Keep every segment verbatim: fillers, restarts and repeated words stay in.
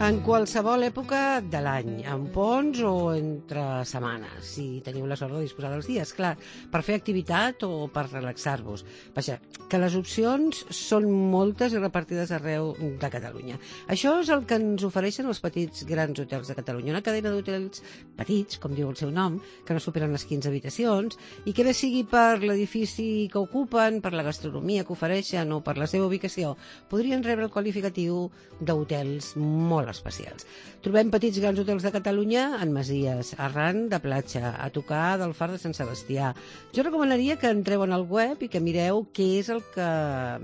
En qualsevol època de l'any, en ponts o entre setmanes, si teniu la sort de disposar dels dies, clar, per fer activitat o per relaxar-vos. Vaja, que les opcions són moltes i repartides arreu de Catalunya. Això és el que ens ofereixen els petits grans hotels de Catalunya, una cadena d'hotels petits, com diu el seu nom, que no superen les quinze habitacions, i que bé sigui per l'edifici que ocupen, per la gastronomia que ofereixen o per la seva ubicació, podrien rebre el qualificatiu d'hotels molt especials. Trobem petits grans hotels de Catalunya en masies, arran de platja, a tocar del Far de Sant Sebastià. Jo recomanaria que entreu en el web i que mireu què és el que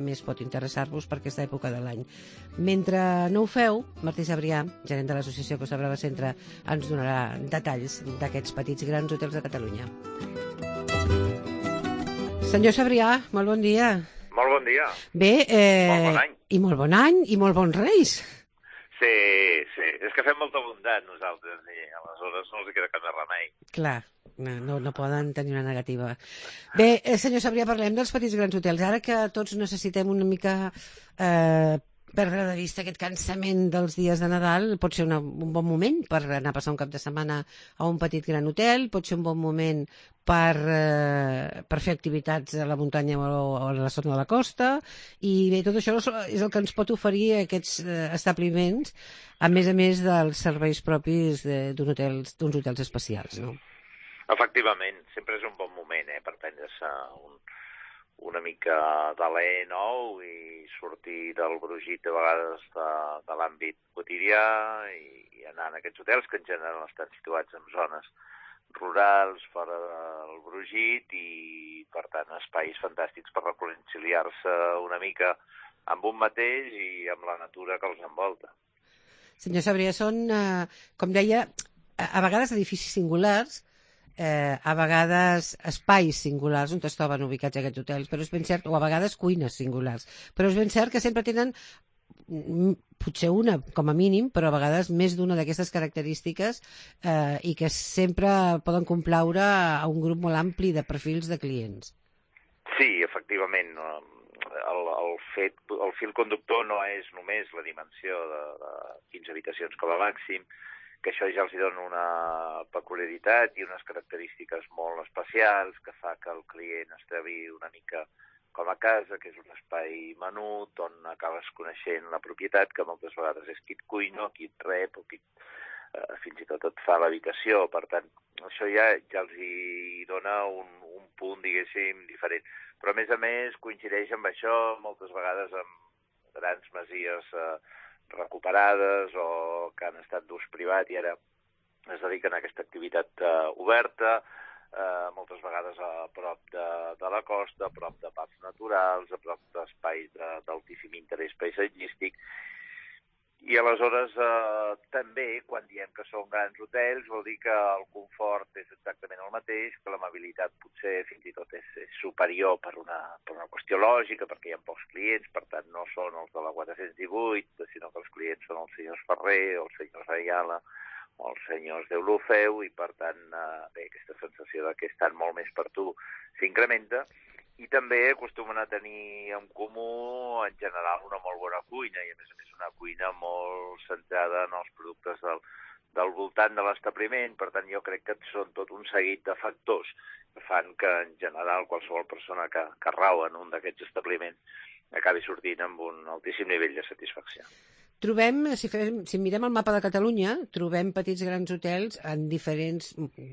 més pot interessar-vos per aquesta època de l'any. Mentre no ho feu, Martí Sabrià, gerent de l'associació Costa Brava Centre, ens donarà detalls d'aquests petits grans hotels de Catalunya. Senyor Sabrià, molt bon dia. Molt bon dia. Bé, eh... molt bon any. I molt bon any, i molt bons reis. Sí, sí. És que fem molta bondat nosaltres i aleshores no els queda cap més remei. Clar, no, no, no poden tenir una negativa. Bé, eh, senyor Sabrià, parlem dels petits grans hotels. Ara que tots necessitem una mica eh, perdre de vista aquest cansament dels dies de Nadal, pot ser una, un bon moment per anar a passar un cap de setmana a un petit gran hotel, pot ser un bon moment per, eh, per fer activitats a la muntanya o, o a la zona de la costa, i bé, tot això és el que ens pot oferir aquests eh, establiments, a més a més dels serveis propis d'uns hotels, d'uns hotels especials, no? Efectivament, sempre és un bon moment eh, per prendre-se un, una mica d'alè nou i sortir del brogit de vegades de, de l'àmbit quotidià i, i anar a aquests hotels que en general estan situats en zones rurals, fora del brogit i, per tant, espais fantàstics per reconciliar-se una mica amb un mateix i amb la natura que els envolta. Senyor Sabrià, són, eh, com deia, a vegades edificis singulars, eh, a vegades espais singulars on es troben ubicats aquests hotels, però és ben cert, o a vegades cuines singulars, però és ben cert que sempre tenen potser una, com a mínim, però a vegades més d'una d'aquestes característiques eh, i que sempre poden complaure a un grup molt ampli de perfils de clients. Sí, efectivament. El, el, fet, el fil conductor no és només la dimensió de, de quinze habitacions com a màxim, que això ja els dona una peculiaritat i unes característiques molt especials que fa que el client es trobi una mica com a casa, que és un espai menut on acabes coneixent la propietat, que moltes vegades és qui et cuina, qui et rep, o qui eh, fins i tot et fa l'habitació. Per tant, això ja, ja els hi dona un, un punt, diguéssim, diferent. Però, a més a més, coincideix amb això moltes vegades amb grans masies eh, recuperades o que han estat d'ús privat i ara es dediquen a aquesta activitat eh, oberta, eh, moltes vegades a prop de, de la costa, a prop de parcs naturals, a prop d'espais d'altíssim interès paisatgístic. I aleshores eh, també, quan diem que són grans hotels, vol dir que el confort és exactament el mateix, que l'amabilitat potser fins i tot és, és superior per una, per una qüestió lògica, perquè hi ha pocs clients, per tant no són els de la quatre-cents divuit, sinó que els clients són els senyors Ferrer, els senyors Ayala, o els senyors d'Eulofeu, i per tant eh, bé, aquesta sensació de que estan molt més per tu s'incrementa. I també acostumen a tenir en comú, en general, una molt bona cuina, i a més a més una cuina molt centrada en els productes del, del voltant de l'establiment. Per tant, jo crec que són tot un seguit de factors que fan que, en general, qualsevol persona que, que rau en un d'aquests establiments acabi sortint amb un altíssim nivell de satisfacció. Trobem, si, fem, si mirem el mapa de Catalunya, trobem petits grans hotels en diferents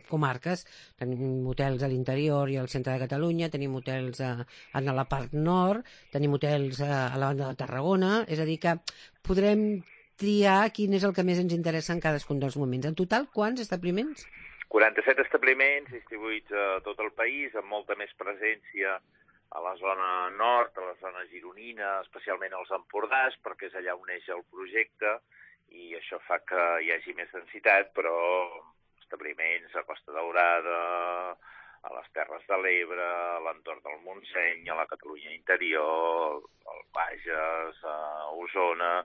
comarques. Tenim hotels a l'interior i al centre de Catalunya, tenim hotels a, a la part nord, tenim hotels a, a la banda de Tarragona, és a dir que podrem triar quin és el que més ens interessa en cadascun dels moments. En total, quants establiments? quaranta-set establiments distribuïts a tot el país, amb molta més presència a la zona nord, a la zona gironina, especialment als Empordàs, perquè és allà on neix el projecte, i això fa que hi hagi més densitat, però establiments a Costa Daurada, a les Terres de l'Ebre, a l'entorn del Montseny, a la Catalunya interior, al Bages, a Osona,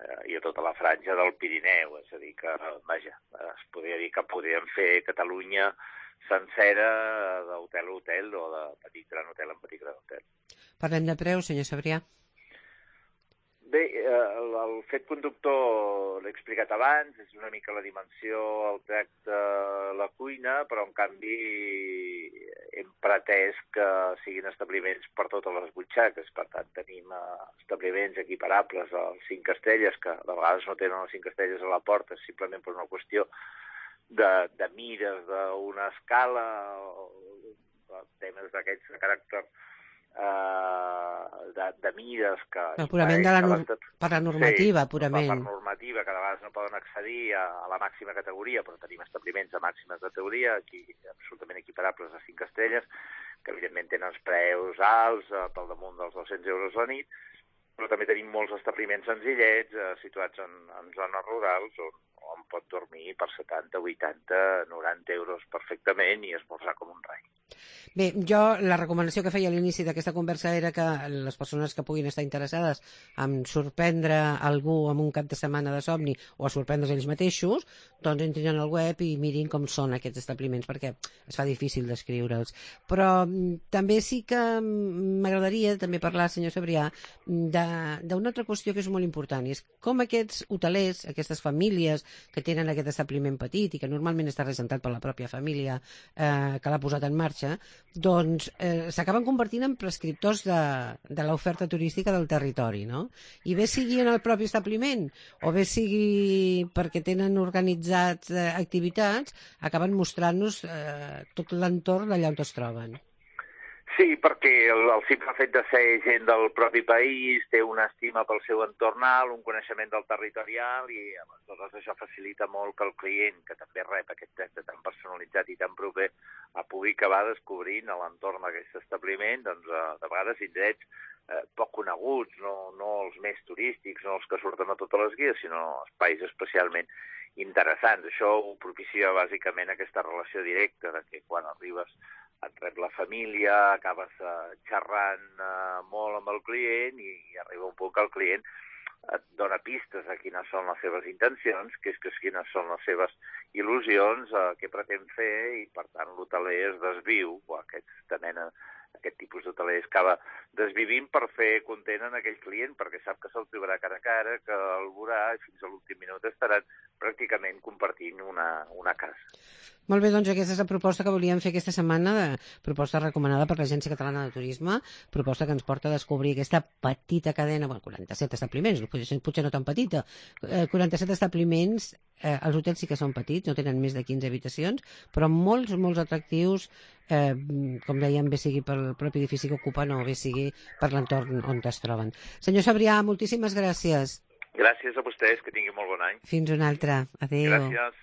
eh, i a tota la franja del Pirineu. És a dir que, vaja, es podria dir que podríem fer Catalunya sencera d'hotel a hotel o de petit gran hotel en petit gran hotel. Parlem de preus, senyor Sabrià. Bé, el, el fet conductor l'he explicat abans, és una mica la dimensió, el tracte, la cuina, però en canvi hem pretès que siguin establiments per totes les butxaques. Per tant, tenim establiments equiparables als cinc estrelles, que de vegades no tenen les cinc estrelles a la porta, simplement per una qüestió de, de mires d'una escala, o temes d'aquests de caràcter Uh, de, de mides que... Però purament de la nor... per la normativa, sí, purament. Per normativa, que de vegades no poden accedir a, a la màxima categoria, però tenim establiments de màxima categoria, aquí absolutament equiparables a cinc estrelles, que evidentment tenen els preus alts, uh, pel damunt dels dos-cents euros la nit, però també tenim molts establiments senzillets, uh, situats en, en zones rurals, on, on pot dormir per setanta, vuitanta, noranta euros perfectament i esmorzar com un rei. Bé, jo la recomanació que feia a l'inici d'aquesta conversa era que les persones que puguin estar interessades en sorprendre algú amb un cap de setmana de somni o a sorprendre's ells mateixos, doncs entrin al web i mirin com són aquests establiments, perquè es fa difícil descriure'ls. Però també sí que m'agradaria també parlar, senyor Cebrià, d'una altra qüestió que és molt important, i és com aquests hotelers, aquestes famílies que tenen aquest establiment petit i que normalment està regentat per la pròpia família eh, que l'ha posat en marxa, doncs eh, s'acaben convertint en prescriptors de, de l'oferta turística del territori, no? I bé sigui en el propi establiment o bé sigui perquè tenen organitzats eh, activitats, acaben mostrant-nos eh, tot l'entorn d'allà on es troben. Sí, perquè el, el simple fet de ser gent del propi país té una estima pel seu entorn alt, un coneixement del territorial i aleshores això facilita molt que el client, que també rep aquest tracte tan personalitzat i tan proper, pugui acabar descobrint a l'entorn d'aquest establiment, doncs, de vegades indrets eh, poc coneguts, no, no els més turístics, no els que surten a totes les guies, sinó espais especialment interessants. Això ho propicia bàsicament aquesta relació directa, de que quan arribes et rep la família, acabes uh, xerrant uh, molt amb el client i, i arriba un punt que el client et dona pistes a quines són les seves intencions, que és que quines són les seves il·lusions, uh, què pretén fer, i per tant l'hoteler es desviu, o aquesta mena, aquest tipus d'hoteler acaba desvivint per fer content en aquell client, perquè sap que se'l trobarà cara a cara, que el veurà i fins a l'últim minut estaran pràcticament compartint una, una casa. Molt bé, doncs aquesta és la proposta que volíem fer aquesta setmana, de proposta recomanada per l'Agència Catalana de Turisme, proposta que ens porta a descobrir aquesta petita cadena, bueno, quaranta-set establiments, potser, potser no tan petita, eh, quaranta-set establiments, eh, els hotels sí que són petits, no tenen més de quinze habitacions, però molts, molts atractius, eh, com dèiem, bé sigui pel propi edifici que ocupen o bé sigui per l'entorn on es troben. Senyor Cebrià, moltíssimes gràcies. Gràcies a vostès, que tinguin molt bon any. Fins una altra. Adéu. Gràcies.